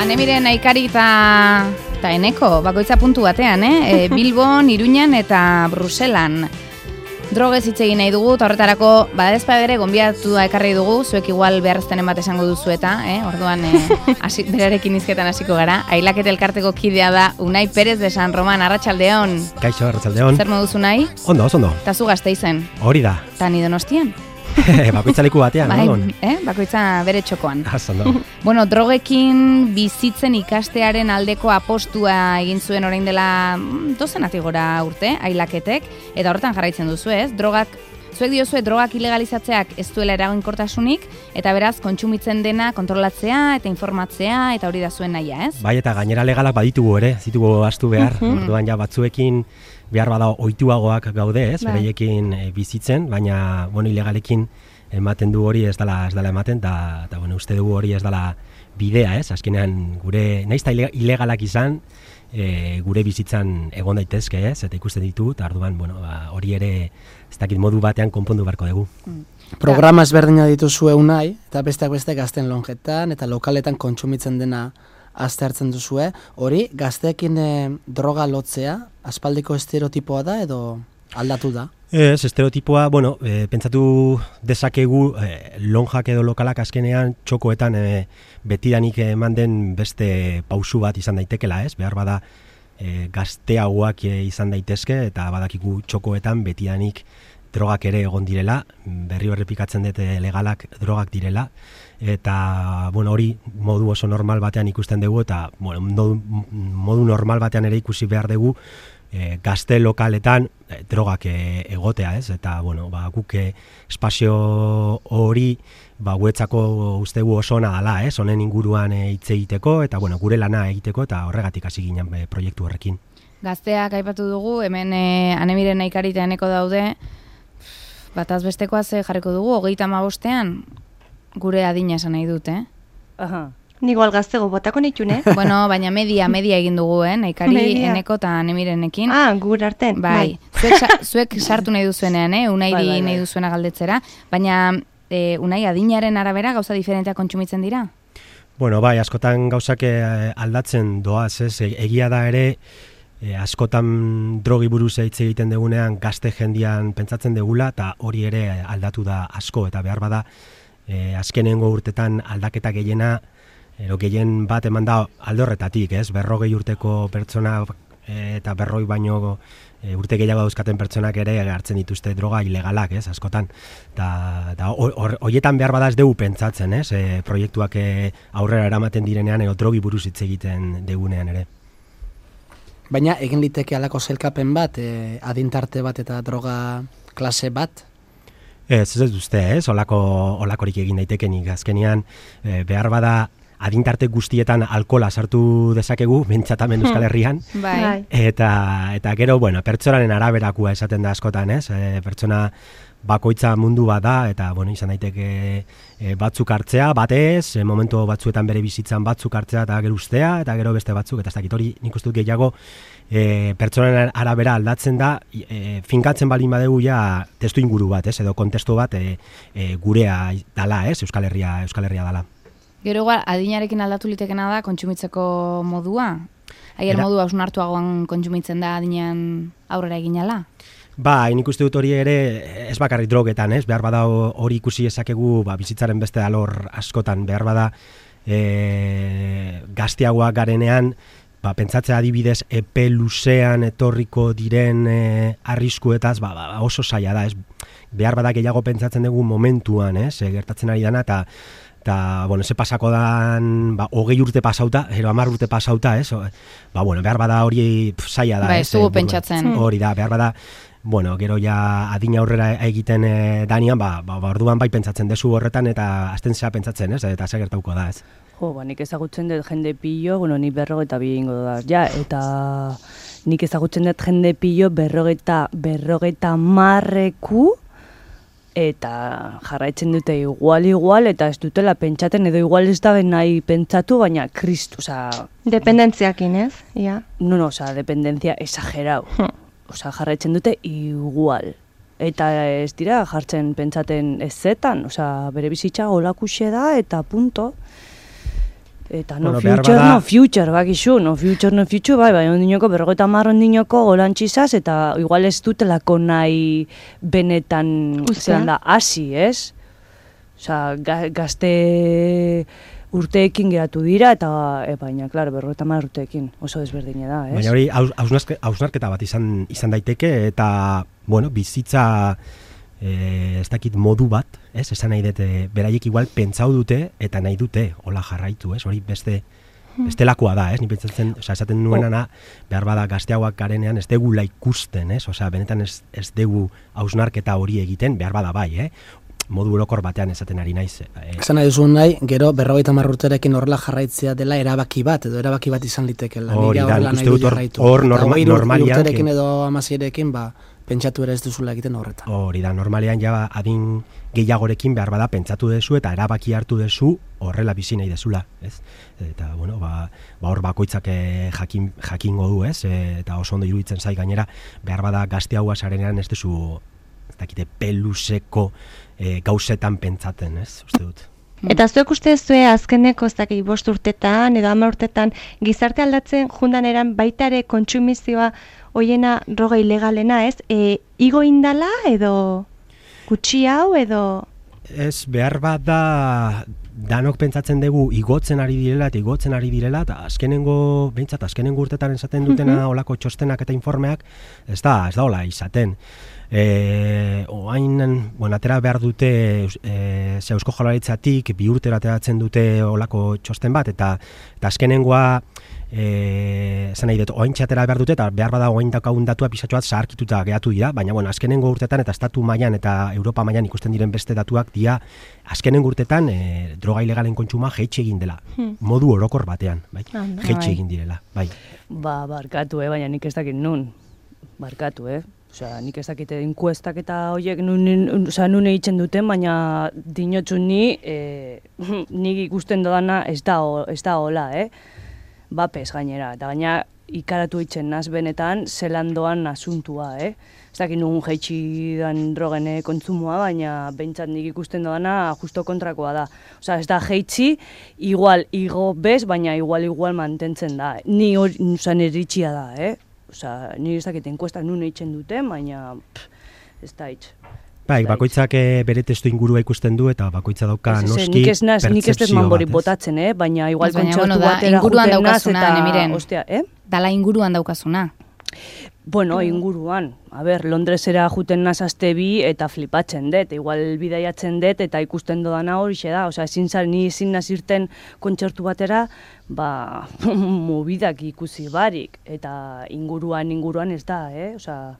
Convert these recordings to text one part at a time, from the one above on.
Anemiren Aikari eta Eneko, bakoitza puntu batean, Bilbon, Iruñan eta Bruselan. Drogez hitz egin nahi dugu, eta horretarako, badezpa ere, gonbidatua ekarri dugu, zuek igual beharreztenen bat esango duzu eta, orduan, berarekin izketan hasiko gara. Ailakete elkarteko kidea da Unai Perez de San Roman, arratsaldeon. Kaixo, arratsaldeon. Zer moduz Unai? Ondo, ondo. Eta zu Gasteizen. Hori da. Eta ni Donostian. Bakoitza leku batean, bai, bakoitza bere txokoan. Ondo. Bueno, drogekin bizitzen ikastearen aldeko apostua egin zuen orain dela dozenatik gora urte, Ailaketek, eta horretan jarraitzen duzu, ez? Zuek diozue drogak ilegalizatzeak ez duela eraginkortasunik, eta beraz, kontsumitzen dena kontrolatzea eta informatzea, eta hori da zuen nahia, ez? Bai, eta gainera legalak baditugu ere, zitugu astu behar, orduan ja batzuekin behar bada ohituagoak gaude, ez, bereiekin bizitzen, baina, ilegalekin ematen du hori ez dela ematen, eta uste dugu hori ez dela bidea, ez, azkenean gure, nahiz eta ilegalak izan, gure bizitzan egon daitezke, ez, eta ikusten ditu, eta orduan, hori ere, ez dakit modu batean konpondu beharko dugu. Programa ezberdina dituzue Unai, eta besteak beste gazten lonjetan, eta lokaletan kontsumitzen dena aztertzen duzue, hori gazteekin droga lotzea, aspaldiko estereotipoa da edo aldatu da? Ez, estereotipoa, pentsatu dezakegu lonjak edo lokalak azkenean txokoetan betidanik eman den beste pausu bat izan daitekela, ez? Behar bada gazteagoak izan daitezke eta badakigu txokoetan betidanik drogak ere egon direla, berri errepikatzen dut legalak drogak direla, eta hori modu oso normal batean ikusten dugu, eta modu normal batean ere ikusi behar dugu gazte lokaletan drogak egotea, ez? Eta guk espazio hori guetzako ustegu oso ona dela, ez? Honen inguruan hitz egiteko, eta gure lana egiteko, eta horregatik hasi ginen proiektu horrekin. Gazteak aipatu dugu, hemen Anemiren Aikari eta Eneko daude, bataz bestekoa ze jarriko dugu, 35ean gure adina esan nahi dut, Aha. Ni igual gaztego botako nitune. Baina media egin dugu, Aikari, Eneko eta Anemirenekin. Gure arten. Bai. Zuek sartu nahi duzuenean, Unairi nahi duzuena galdetzera, baina Unai adinaren arabera gauza diferenteak kontsumitzen dira? Bai, askotan gauzak aldatzen doaz, ez? Egia da ere, askotan drogi buruz hitz egiten dugunean gazte jendian pentsatzen degula, eta hori ere aldatu da asko, eta behar bada azkenengo urtetan aldaketa gehien bat eman da alde horretatik, ez? 40 urteko pertsona eta 40 baino urte gehiago dauzkaten pertsonak ere hartzen dituzte droga ilegalak, ez? Askotan. Eta horietan behar bada ez dugu pentsatzen, ez? Proiektuak aurrera eramaten direnean edo drogi buruz hitz egiten degunean ere. Baina egin liteke halako sailkapen bat, adintarte bat eta droga klase bat? Ez duzte, ez? Olakorik egin daitekenik. Azkenean, behar bada adintarte guztietan alkohola sartu dezakegu, bentsatamen Euskal Herrian. Bai. Eta gero, pertsonaren araberakua esaten da askotan, ez? Pertsona bakoitza mundu bat da, eta izan daiteke batzuk hartzea, batez, momentu batzuetan bere bizitzan batzuk hartzea eta gero ustea, eta gero beste batzuk, eta ez dakit hori nik uste dut gehiago pertsonaren arabera aldatzen da, finkatzen balin badegu ja testu inguru bat, ez? Edo kontestu bat gurea dala, ez? Euskal Herria dala. Gero adinarekin aldatu litekena da kontsumitzeko modua? Aier modua hausnartuagoan kontsumitzen da adinean aurrera eginala? Nik uste dut hori ere ez bakarrik drogetan, ez? Behar bada hori ikusi ezakegu bizitzaren beste alor askotan, behar bada gazteagoak garenean, pentsatzea adibidez epe luzean etorriko diren arriskuetaz, oso zaila da, ez? Behar bada gehiago pentsatzen dugu momentuan, ez? Gertatzen ari dana, eta ze pasako dan 20 urte pasauta, 10 urte pasauta, ez? Behar bada hori zaila da, ez? Ez dugu pentsatzen. Hori da, behar bada, gero ja adina aurrera egiten danian, orduan bai pentsatzen dezu horretan, eta azten zea pentsatzen, ez? Eta ze gertauko da, ez? Nik ezagutzen dut jende pillo, ni 42 ingo da, eta nik ezagutzen dut jende pillo 40 marreku, eta jarraitzen dute igual, eta ez dutela pentsaten, edo igual ez da nahi pentsatu, baina kristu, Dependentziakin, ez? Ja. No, dependentzia exagerau. Jarraitzen dute igual. Eta ez dira jartzen pentsaten ezetan, bere bizitza olakuxe da, eta punto. Eta no future, bakizu, no future, bai, ondinoko, 50 ondinoko golantxizaz, eta igual ez dutelako nahi benetan, zelan da, hasi, ez? Osa, gazte urteekin geratu dira, eta, baina, klaro, 50 urteekin, oso desberdine da, ez? Baina hori, hausnarketa bat izan daiteke, eta, bueno, bizitza, ez dakit modu bat, ez? Esan nahi dut, beraiek igual pentsau dute, eta nahi dute, hola jarraitu, ez? Hori bestelakoa da, ez? Ni pentsatzen, esaten nuenana, behar bada gazteagoak garenean ez degula ikusten, ez? Benetan ez degu hausnarketa hori egiten, behar bada bai, modu orokor batean esaten ari naiz. Esan nahi duzun nahi, gero 50 urterekin horrela jarraitzea dela erabaki bat, edo erabaki bat izan litekela. Hori da, nik uste dut hor normalian... urterekin edo 16rekin, pentsatu ere ez duzula egiten horretan. Hori da, normalean ja adin gehiagorekin behar bada pentsatu dezu eta erabaki hartu dezu horrela bizi nahi dezula, ez? Eta, bueno, hor bakoitzak jakingo du, ez? Eta oso ondo iruditzen zai gainera, behar bada gazte hau asarenean ez dezu, ez dakite, peluseko gauzetan pentsaten, ez? Uste dut. Eta zuek uste zue azkeneko ez dakit 5 urtetan edo 10 urtetan gizarte aldatzen jundan eran baita ere kontsumizioa hoiena droga ilegalena, ez? Igo indala edo gutxi hau edo... Ez, behar bat da danok pentsatzen dugu igotzen ari direla, eta azkenengo urtetan esaten dutena olako txostenak eta informeak, ez da hola izaten. Oain, atera behar dute Eusko Jaurlaritzatik 2 urtera ateratzen dute olako txosten bat, eta azkenengoa esan nahi dut, oain txatera behar dute, eta behar bada oain daukagun datua pisatxo bat zaharkituta gehatu dira, baina azkenengo urtetan eta estatu mailan eta Europa mailan ikusten diren beste datuak dira azkenengo urtetan droga ilegalen kontsuma jeitxe egin dela, modu orokor batean, bai? Jeitxe egin direla, bai. Barkatu, baina nik ez dakit nun, barkatu, Osea, nik ez dakite enkuestak eta horiek nun egiten duten, baina dinotxu nik ikusten dodana ez da hola, Bapez gainera, eta gaina ikaratu eitzen naz benetan zelan doan asuntua, Ez dakit nun jeitsi dan drogen kontsumoa, baina behintzat nik ikusten dodana justo kontrakoa da. Osea, ez da jeitsi, igual igo bez, baina igual mantentzen da. Ni eritxia da, Osa, nire ez dakit enkuestak nun eitzen duten, baina ez da hitz. Bai, bakoitzak bere testu ingurua ikusten du eta bakoitza dauka noski pertzepzio nik ez dut manbori botatzen, baina igual kontzertu batera juten naz eta... Ostia, Dala inguruan daukazuna. Bueno, inguruan. Londresera juten naz aste bi eta flipatzen dut. Igual bidaiatzen dut eta ikusten dodana horixe da. Osea, ezin nazirten kontzertu batera, mobidak ikusi barik. Eta inguruan ez da, Osea...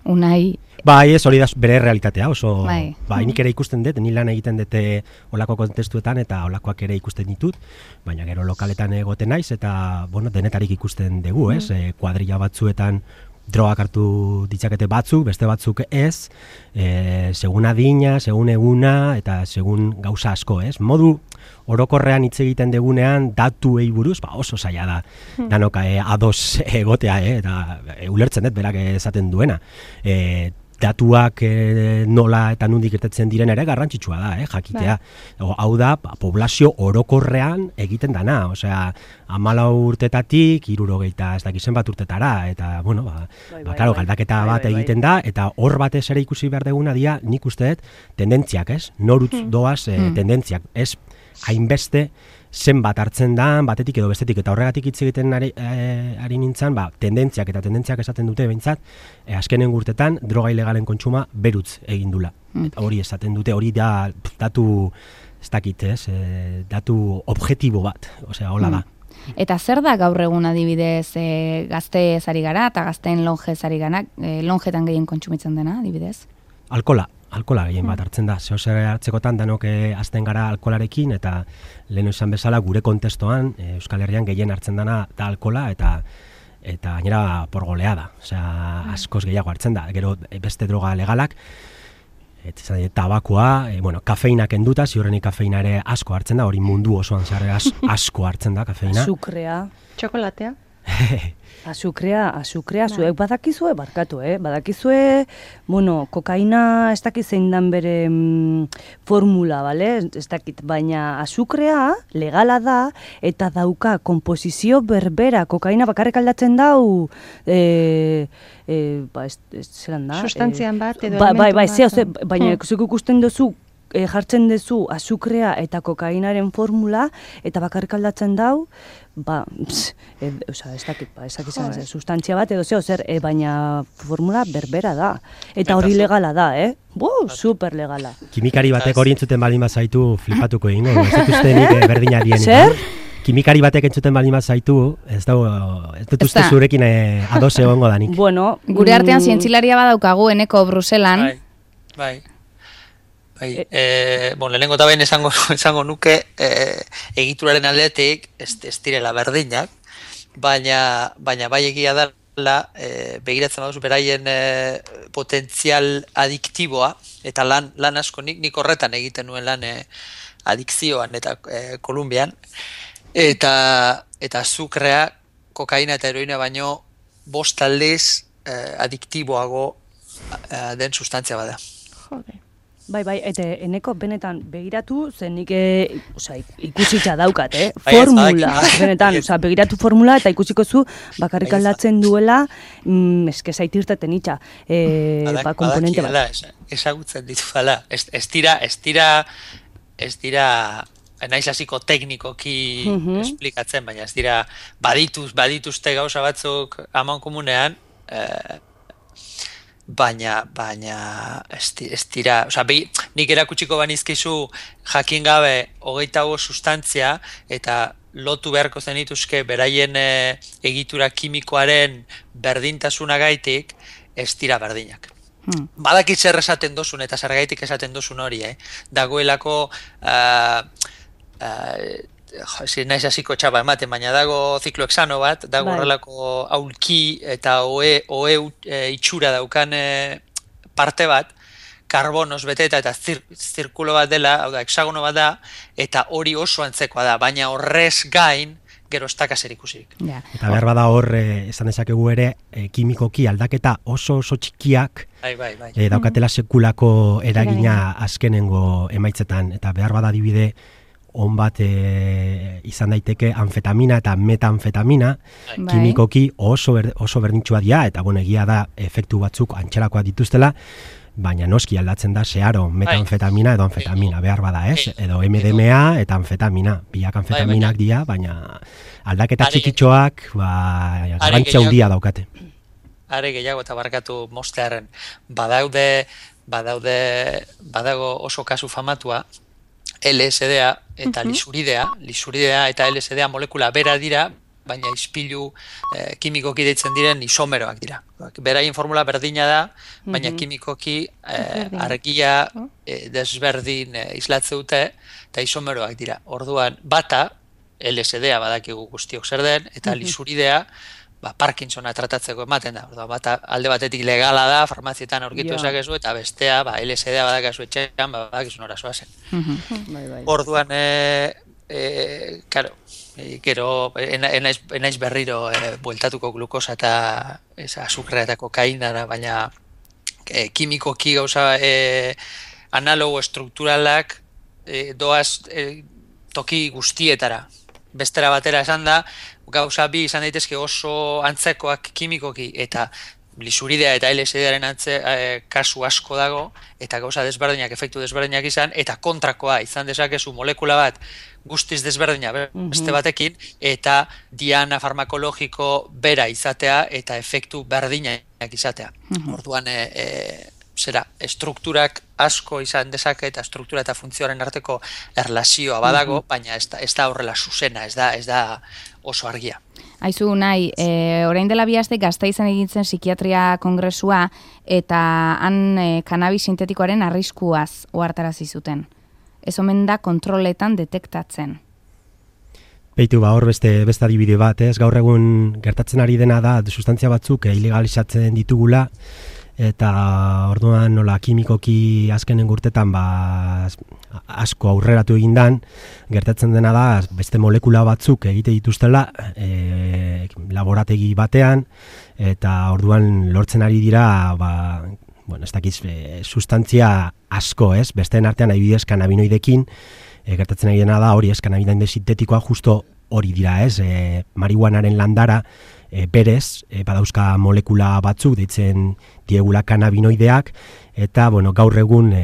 Unai... Bai, ez hori da bere realitatea, oso... Bai, nik ere ikusten dut, ni lan egiten dute olako kontestuetan eta olakoak ere ikusten ditut, baina gero lokaletan egoten naiz eta, denetarik ikusten dugu, kuadrilla batzuetan drogak hartu ditzakete batzuk, beste batzuk ez, segun adina, segun eguna eta segun gauza asko, Modu orokorrean hitz egiten degunean datuei buruz, oso zaila da, danok ados egotea, eta ulertzen dut berak esaten duena. Datuak nola eta nondik irtetzen diren ere garrantzitsua da, jakitea. Hau da, poblazio orokorrean egiten dana, osea, 14 urtetatik 60 ez dakizen bat urtetara, eta, klaro, galdaketa bat egiten da, eta hor batez ere ikusi behar deguna dia, nik uste dut, tendentziak, norutz doaz tendentziak, ez hainbeste zenbat hartzen da, batetik edo bestetik, eta horregatik hitz egiten ari nintzen, tendentziak esaten dute behintzat, azkenen urtetan droga ilegalen kontsuma berutz egin dula. Hori esaten dute, hori da datu, ez dakit, datu objektibo bat, osea, hola da. Eta zer da gaur egun adibidez gazte ezari gara eta gazteen lonje ezari gara, lonjetan gehien kontsumitzen dena adibidez? Alkola gehien bat hartzen da. Zer hartzekotan danok azten gara alkolarekin eta lehen esan bezala gure kontestoan Euskal Herrian gehien hartzen dana da alkola eta gainera porgolea da. Osea, askoz gehiago hartzen da. Gero beste droga legalak, tabakoa, kafeina kenduta, ziurrenik kafeina ere asko hartzen da, hori mundu osoan zehar asko hartzen da kafeina. Azukrea. Txokolatea. Azukrea, zuek badakizue, barkatu, badakizue, kokaina ez dakit zein dan bere formula, bale? Ez dakit, baina azukrea legala da eta dauka komposizio berbera, kokaina bakarrik aldatzen dau, zelan da? Sustantzian bat edo elementu bat. Baina zuk ikusten duzu, jartzen duzu azukrea eta kokainaren formula eta bakarrik aldatzen dau, ez dakit sustantzia bat edo zer, baina formula berbera da. Eta hori legala da, super legala. Kimikari batek hori entzuten baldin bazaitu flipatuko egingo, ez dut uste nik berdina dien. Zer? Kimikari batek entzuten baldin bazaitu, ez dut uste zurekin ados egongo da nik. Bueno, gure artean zientzilaria badaukagu Eneko Bruselan. Bai. Lehenengo eta behin esango nuke egituraren aldetik ez direla berdinak, baina bai egia dela begiratzen baduzu beraien potentzial adiktiboa, eta lan asko nik horretan egiten nuen lan adikzioan eta Kolumbian, eta azukrea, kokaina eta heroina baino 5 aldiz adiktiboago den sustantzia bada. Jode. Bai, eta Eneko benetan begiratu, zen nik ikusitza daukat, formula, benetan, begiratu formula eta ikusiko zu bakarrik aldatzen duela, eske zaitirteten itxa, komponente bat. Ezagutzen ditu dela, ez dira, naiz hasiko teknikoki esplikatzen, baina ez dira badituzte gauza batzuk aman komunean, baina ez dira, nik erakutsiko banizkizu jakin gabe 25 sustantzia eta lotu beharko zenituzke beraien egitura kimikoaren berdintasunagaitik ez dira berdinak. Badakit zer esaten dozun eta zergaitik esaten dozun hori, dagoelako naiz hasiko txapa ematen, baina dago ziklohexano bat, dago horrelako aulki eta oe itxura daukan parte bat, karbonoz beteta eta zirkulo bat dela, hau da, hexagono bat da, eta hori oso antzekoa da, baina horrez gain, gero ez daka zer ikusik. Eta behar bada hor, esan dezakegu ere, kimikoki aldaketa oso txikiak, daukatela sekulako eragina azkenengo emaitzetan, eta behar bada adibide, on bat izan daiteke anfetamina eta metanfetamina, kimikoki oso berdintxua dira, eta egia da efektu batzuk antxerakoak dituztela, baina noski aldatzen da zeharo metanfetamina edo anfetamina, behar bada edo MDMA eta anfetamina, biak anfetaminak dira, baina aldaketa txikitxoak garrantzia handia daukate. Are gehiago eta barkatu mostearen, badago oso kasu famatua, LSD-a eta lisuridea eta LSD-a molekula bera dira, baina ispilu kimikoki deitzen diren isomeroak dira. Beraien formula berdina da, baina kimikoki argia desberdin islatze dute eta isomeroak dira. Orduan, bata, LSD-a badakigu guztiok zer den, eta lisuridea Parkinsona tratatzeko ematen da. Bata alde batetik legala da, farmazietan aurkitu ezakezu, eta bestea LSD-a badakazu etxean, badakizu nora zoazen. Orduan, gero, enaiz berriro bueltatuko glukosa eta azukrea eta kokainara, baina kimikoki gauza analogo estrukturalak doaz toki guztietara. Bestera batera esan da, gauza bi izan daitezke oso antzekoak kimikoki eta lisuridea eta LSD-aren kasu asko dago, eta gauza desberdinak, efektu desberdinak izan, eta kontrakoa izan dezakezu molekula bat guztiz desberdina beste batekin, eta diana farmakologiko bera izatea eta efektu berdinak izatea. Orduan, estrukturak asko izan dezake eta struktura eta funtzioaren arteko erlazioa badago, baina ez da horrela zuzena, ez da oso argia. Aizu, nahi, orain dela 2 aste Gasteizen egintzen psikiatria kongresua eta han kanabis sintetikoaren arriskuaz ohartarazi zuten. Ez omen da kontroletan detektatzen. Beitu, hor beste adibide bat, gaur egun gertatzen ari dena da sustantzia batzuk ilegalizatzen ditugula, eta orduan nola kimikoki azkenen urtetan asko aurreratu egindan, gertatzen dena da beste molekula batzuk egite dituztela laborategi batean, eta orduan lortzen ari dira, ez dakiz, sustantzia asko, ez? Besteen artean adibidez kanabinoidekin, gertatzen ari dena da hori, ez, kanabinoide sintetikoa justo hori dira, ez? Marihuanaren landara, berez, badauzka molekula batzuk, deitzen diegula kanabinoideak, eta, gaur egun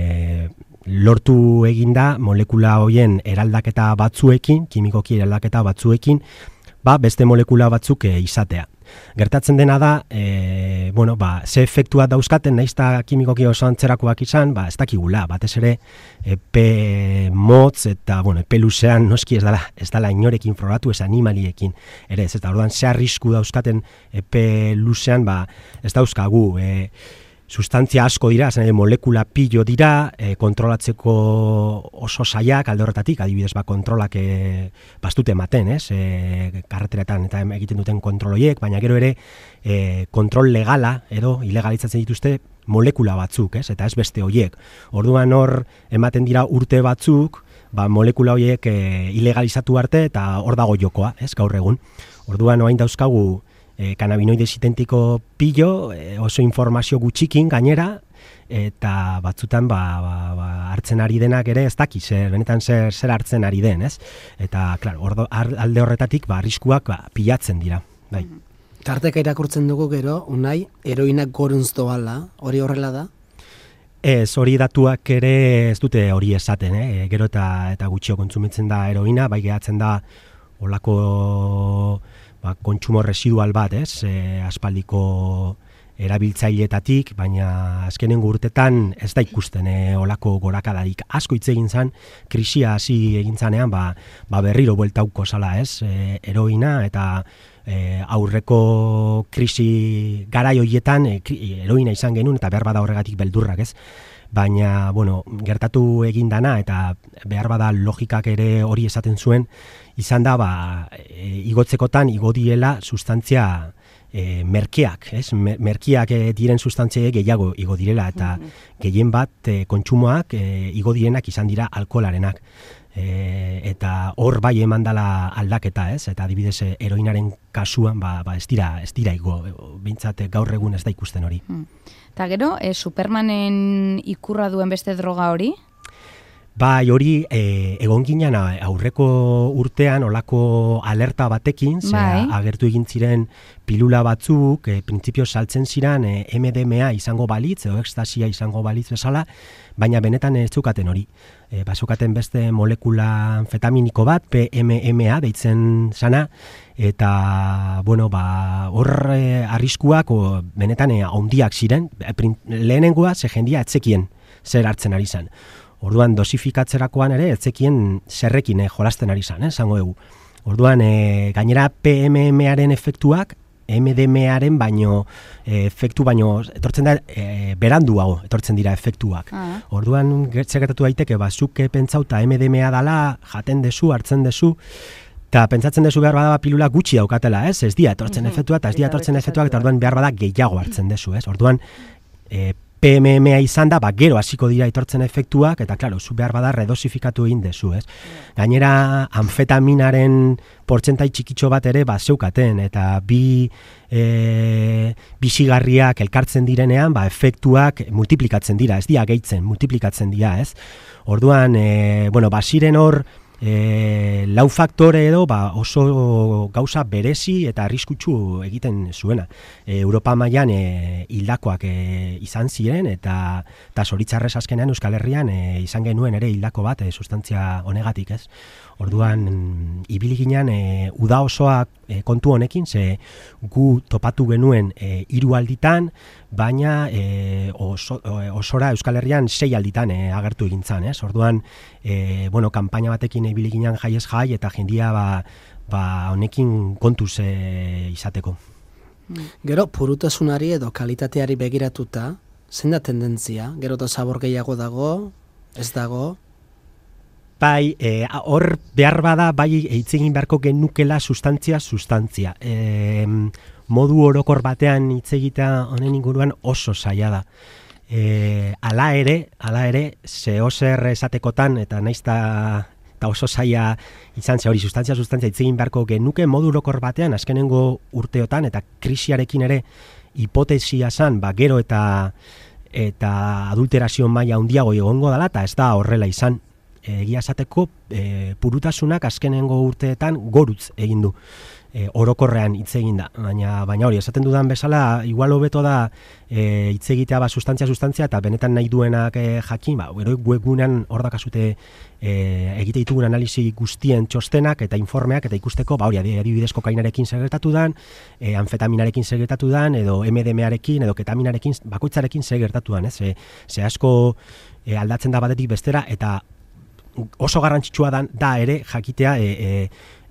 lortu eginda molekula hoien eraldaketa batzuekin, kimikoki eraldaketa batzuekin, beste molekula batzuk izatea. Gertatzen dena da, ze efektua dauzkaten, naizta kimikoki oso antzerakoak izan, ez dakigula, batez ere, epe motz eta, epe luzean noski ez dala inorekin frogatu, ez animaliekin ere, ez eta orduan ze arrisku dauzkaten epe luzean, ez dauzkagu, sustantzia asko dira, molekula pilo dira, kontrolatzeko oso saiak alde horretatik, adibidez kontrolak bastute ematen, karreteretan eta egiten duten kontroloiek, baina gero ere kontrol legala edo ilegalizatzen dituzte molekula batzuk, eta ez beste hoiek. Orduan hor ematen dira urte batzuk, molekula hoiek ilegalizatu arte eta hor dago jokoa, gaur egun. Orduan orain dauzkagu kanabinoide sintentiko pilo, oso informazio gutxikin gainera, eta batzutan hartzen ari denak ere ez daki, benetan zer hartzen ari den, ez? Eta, klaro, alde horretatik arriskuak pilatzen dira, bai. Tarteka irakurtzen dugu gero, Unai, heroinak goruntz doala, hori horrela da? Ez, hori datuak ere ez dute hori esaten, gero eta gutxio kontsumitzen da heroina, bai gehatzen da olako kontsumo residual bat, aspaldiko erabiltzaileetatik, baina azkenengo urtetan ez da ikusten olako gorakadarik. Asko hitz egin zan, krisia hasi egin zanean, berriro bueltauko zala, heroina, eta aurreko krisi garai horietan heroina izan genuen, eta behar bada horregatik beldurrak, ez? Baina, gertatu egin dana, eta behar bada logikak ere hori esaten zuen, izan da, igotzekotan igo diela sustantzia merkeak, ez? Merkeak diren sustantziek gehiago igo direla, eta gehien bat kontsumoak igo direnak izan dira alkoholarenak. Eta hor bai eman dela aldaketa, ez? Eta adibidez heroinaren kasuan ez dira igo, behintzat gaur egun ez da ikusten hori. Eta gero, Supermanen ikurra duen beste droga hori? Bai, hori egon ginen aurreko urtean olako alerta batekin, agertu egin ziren pilula batzuk, printzipio saltzen ziren MDMA izango balitz, edo ekstasia izango balitz bezala, baina benetan ez zukaten hori. Bazukaten beste molekula amfetaminiko bat, PMMA deitzen zana, eta, hor arriskuak benetan handiak ziren, lehenengoa ze jendia etzekien zer hartzen ari zen. Orduan dosifikatzerakoan ere etzekien zerrekin jolasten ari zen, esango dugu. Orduan gainera PMMaren efektuak MDMaren efektu baino etortzen da beranduago etortzen dira efektuak. Orduan gertatu daiteke zuk pentsauta MDMA dala, jaten dezu, hartzen dezu, eta pentsatzen dezu behar bada pilula gutxi daukatela, ez dia etortzen efektuak, eta ez dia etortzen efektuak, eta orduan behar bada gehiago hartzen dezu, ez? Orduan PMMA izan da, gero hasiko dira etortzen efektuak, eta klaro, zu behar bada redosifikatu egin dezu, ez? Gainera, amfetaminaren portzentai txikitxo bat ere zeukaten, eta bizigarriak elkartzen direnean, efektuak multiplikatzen dira, ez dira gehitzen, multiplikatzen dira, ez? Orduan, ziren hor, lau faktore edo oso gauza berezi eta arriskutsu egiten zuena. Europa mailan hildakoak izan ziren eta zoritzarrez azkenean Euskal Herrian izan genuen ere hildako bat sustantzia honegatik, ez? Orduan ibili ginen uda osoak kontu honekin, ze gu topatu genuen 3 alditan, baina osora Euskal Herrian 6 alditan agertu egin zan, ez? Orduan, kanpaina batekin ibili ginen jaiez jai eta jendia honekin kontuz izateko. Gero, purutasunari edo kalitateari begiratuta, zein da tendentzia? Gero eta zabor gehiago dago, ez dago? Bai, hor behar bada, hitz egin beharko genukela sustantzia. Modu orokor batean hitz egitea honen inguruan oso zaila da. Hala ere, zehozer esatekotan, eta naizta eta oso zaila izan ze hori sustantzia hitz egin beharko genuke modu orokor batean azkenengo urteotan eta krisiarekin ere hipotesia zan, gero eta adulterazio maila handiago egongo dela, eta ez da horrela izan. Egia esateko purutasunak azkenengo urteetan gorutz egin du. Orokorrean hitz egin da, baina hori, esaten dudan bezala, igual hobeto da hitz egitea sustantzia eta benetan nahi duenak jakin, gero webgunean hor dakazute egite ditugun analisi guztien txostenak eta informeak eta ikusteko, hori adibidez kokainarekin zer gertatu dan, anfetaminarekin zer gertatu dan, edo MDMArekin, edo ketaminarekin, bakoitzarekin zer gertatu dan, ez? Ze asko aldatzen da batetik bestera, eta oso garrantzitsua da ere jakitea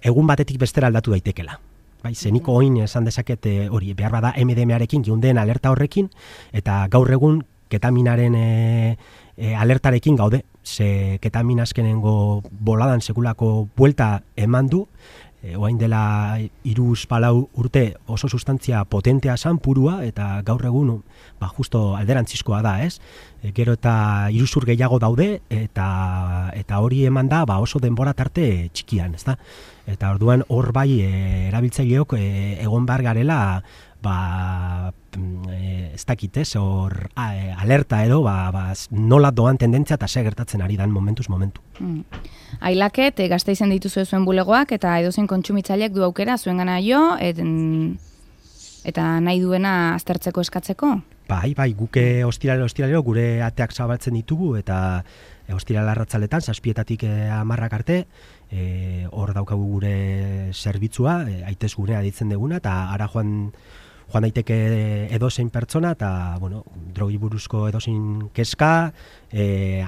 egun batetik bestera aldatu daitekela. Bai, zeniko oin esan dezaket hori, behar bada MDMArekin giundeen alerta horrekin, eta gaur egun ketaminaren alertarekin gaude, ze ketamin azkenengo boladan sekulako buelta eman du, oain dela 3-4 urte oso sustantzia potentea zan, purua, eta gaur egun justo alderantzizkoa da, ez? Gero eta iruzur gehiago daude, eta hori eman da oso denbora tarte txikian, ez da? Eta orduan hor bai erabiltzaileok egon behar garela ez dakit, ez? Hor alerta edo nola doan tendentzia eta ze gertatzen ari dan momentuz momentu. Ailaket, Gasteizen dituzu zuen bulegoak eta edozein kontsumitzaileek du aukera zuen gana jo, eta nahi duena aztertzeko eskatzeko? Bai, guke ostiralero gure ateak zabaltzen ditugu eta ostiral arratzaletan, 7:00 10:00 arte, hor daukagu gure zerbitzua, aitez gunea ditzen deguna, eta ara joan daiteke edozein pertsona, eta, drogi buruzko edozein kezka,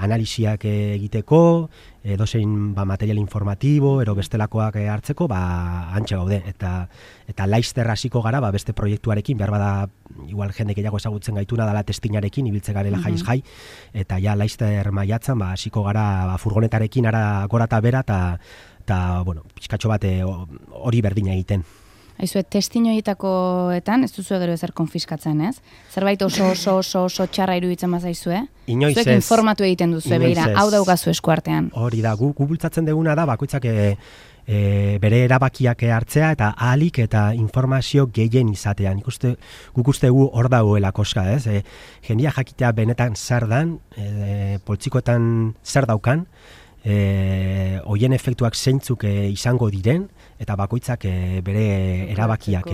analisiak egiteko, edozein material informatibo, ero bestelakoak hartzeko, antxe gaude, eta laizter hasiko gara, beste proiektuarekin, behar bada, igual jende gehiago ezagutzen gaituna dala testinarekin, ibiltze garela jaiz jai, eta ja laizter maiatzan, hasiko gara furgonetarekin ara gora eta bera, eta pixkatxo bat hori berdina egiten. Aizue, testinoietakoetan ez duzu gero ezer konfiskatzen, ez? Zerbait oso txarra iruditzen bazaizue? Inoiz ez. Zuek informatu egiten duzu, beira, hau daukazu eskuartean. Hori da, gu bultzatzen deguna da, bakoitzak bere erabakiak hartzea eta ahalik eta informazio gehien izatean. Guk uste gu hor dagoela koska, ez? Jendia jakitea benetan zer dan, poltsikoetan zer daukan, hoien efektuak zeintzuk izango diren, eta bakoitzak bere erabakiak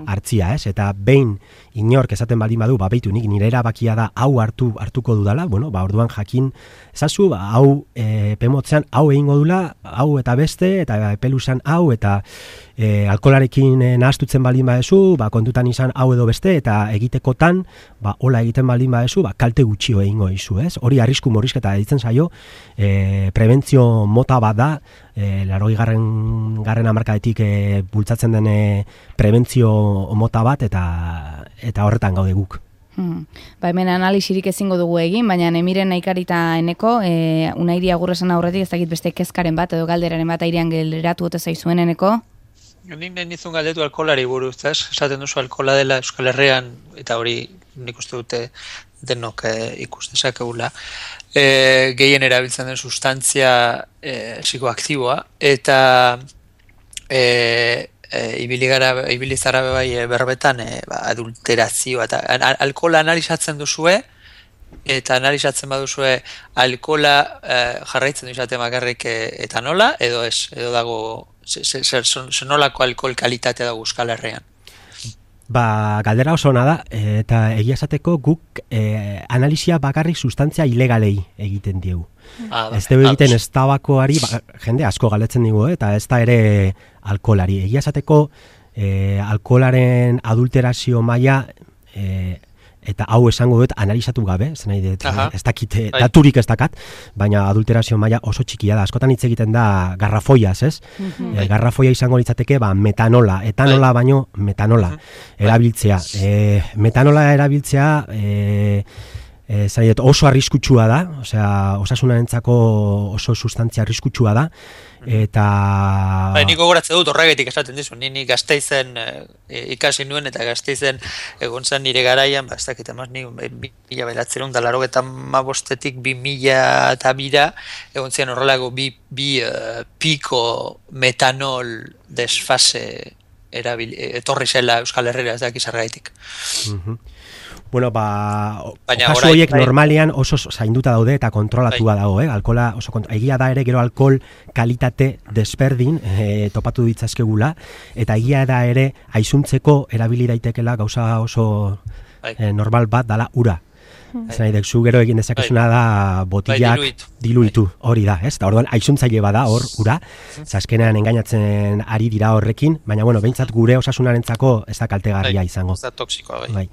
hartzia, ez? Eta behin inork esaten baldin badu, beitu nik nire erabakia da hau hartuko dudala, orduan jakin ezazu, hau pemotzean hau egingo dula, hau eta beste, eta peluzan hau, eta alkolarekin nahastutzen baldin badezu, kontutan izan hau edo beste, eta egitekotan, hola egiten baldin badezu, kalte gutxio egingo izu, ez? Hori arrisku murrizketa ditzen zaio, prebentzio mota bat da, 80. hamarkadetik bultzatzen den prebentzio mota bat, eta horretan gaude guk. Hemen analisirik ezingo dugu egin, baina Emiren Naikarita eneko, Unairi agurresan aurretik ez dakit beste kezkaren bat, edo galderaren bat airean geleratu ote zaizuen eneko? Nik nahi nizun galdetu alkolari buruz, esaten duzu alkola dela Euskal Herrian, eta hori nik uste dute denok ikustezakegula, gehien erabiltzen den sustantzia psikoaktiboa, eta ibili zara bai berbetan adulterazioa, eta alkola analizatzen duzue, eta analizatzen baduzue alkola jarraitzen duzate bakarrik etanola, edo ez, edo dago zenolako alkohol kalitatea dago Euskal Herrian? Galdera oso ona da, eta egia esateko guk analisia bakarrik sustantzia ilegalei egiten diegu. Ez dugu egiten ez tabakoari, jende asko galdetzen digu, eta ez da ere alkoholari. Egia esateko alkoholaren adulterazio maila, eta hau esango dut analizatu gabe, ez dakit, daturik ez dakat, baina adulterazio maila oso txikia da. Askotan hitz egiten da garrafoiaz, ez? Garrafoia izango litzateke metanola, etanola baino metanola erabiltzea. Metanola erabiltzea oso arriskutsua da, osea, osasunarentzako oso sustantzia arriskutsua da, eta... Nik gogoratzen dut horregatik esaten dizu, ni Gasteizen ikasi nuen, eta Gasteizen egon zen nire garaian, ez dakit emaz, ni 1985-etik 2002 egon zian horrelako bi piko metanol desfase etorri zela Euskal Herrera, ez dakiz zergaitik. Bueno, kasu horiek normalean oso zainduta daude eta kontrolatua dago, alkohola oso egia da ere gero alkohol kalitate desberdin topatu ditzazkegula, eta egia da ere aizuntzeko erabili daitekela gauza oso normal bat dala ura. Zu gero egin dezakezuna da botillak diluitu, hori da, ez? Eta orduan aizuntzaile bada hor ura, azkenean engainatzen ari dira horrekin, baina bueno, behintzat gure osasunarentzako ez da kaltegarria izango. Ez da toksikoa, bai.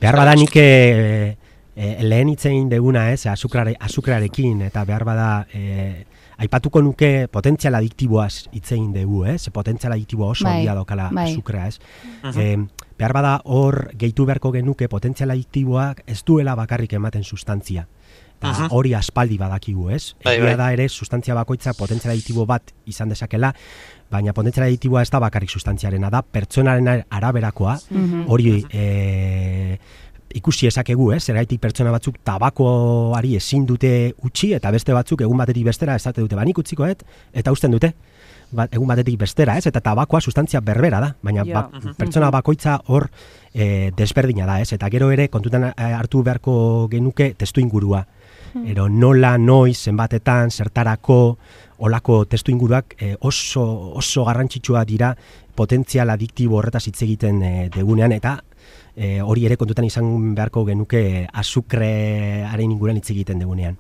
Behar bada nik lehen hitzein deguna, azukrarekin, eta behar bada aipatuko nuke potentzial adiktiboaz hitzein dugu, potentzial adiktiboa oso handia daukala azukrea, behar bada hor gehitu beharko genuke potentzial adiktiboak ez duela bakarrik ematen sustantzia. Eta hori aspaldi badakigu, Egia da ere sustantzia bakoitza potentzial adiktibo bat izan dezakela, baina potentzial adiktiboa ez da bakarrik sustantziarena da, pertsonaren araberakoa, hori ikusi ezakegu, zergaitik pertsona batzuk tabakoari ezin dute utzi, eta beste batzuk egun batetik bestera esate dute, banik utziko eta uzten dute, egun batetik bestera, eta tabakoa sustantzia berbera da, baina pertsona bakoitza hor desberdina da, eta gero ere kontutan hartu beharko genuke testu ingurua. Ero nola, noiz, zenbatetan, zertarako, olako testu inguruak oso garrantzitsua dira potentzial adiktibo horretaz hitz egiten degunean, eta hori ere kontutan izan beharko genuke azukrearen inguruan hitz egiten degunean.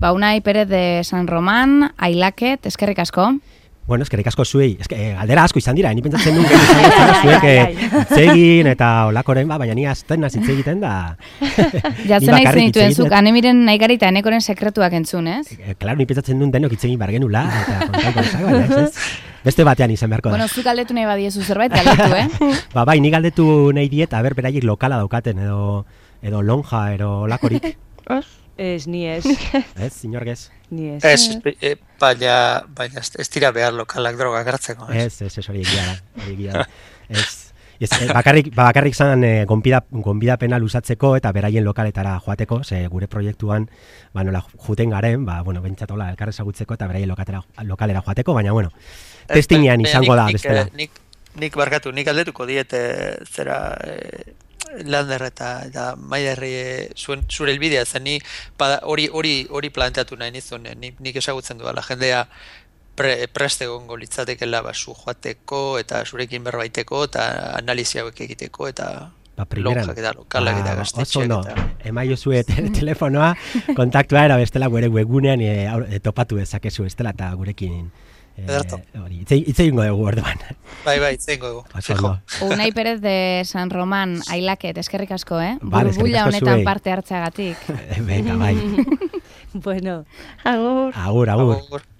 Unai Pérez de San Román, I like it, eskerrik asko. Bueno, eskerrik asko zuei, galdera asko izan dira, ni pentsatzen duen zuek itzegin eta olakoren, baina ni azten nazi egiten da. Jatzen nahi zenituen zuk, anemiren nahi gari eta enekoren sekretuak entzun, ez? Claro, ni pentsatzen duen denok itzegin bargenula, eta kontako ezak, baina ez? Beste batean izan beharko da. Bueno, zuk galdetu nahi badiezu zerbait, galdetu, Bai, ni galdetu nahi diet, beraiek lokala daukaten, edo lonja, edo olakorik. Ez, ni ez. Ez, inorgez? Ni ez. Ez, baina ez dira behar lokalak droga gartzeko. Ez, hori egia da. Bakarrik zan gonbidapena luzatzeko eta beraien lokaletara joateko, ze gure proiektuan juten garen, behintzat hola elkarrezagutzeko eta beraien lokalera joateko, baina testingean izango da bestela. Nik aldetuko diete zera... Lander eta Maiderri zure helbidea zen, ni hori planteatu nahi nizun, nik ezagutzen duela jendea prest egongo litzatekela zu joateko eta zurekin berbaiteko eta analizia hauek egiteko eta lonjak eta lokalak eta gaztetxeak. Emaio zue telefonoa, kontaktua era bestela gure webgunean topatu dezakezu estela eta gurekin Itze ingo dugu orduan. Bai, itze ingo dugu. Unai Pérez de San Román, I like it, eskerrik asko, Burbuila honetan parte hartzeagatik. Venga, bai. Bueno, agur. Agur.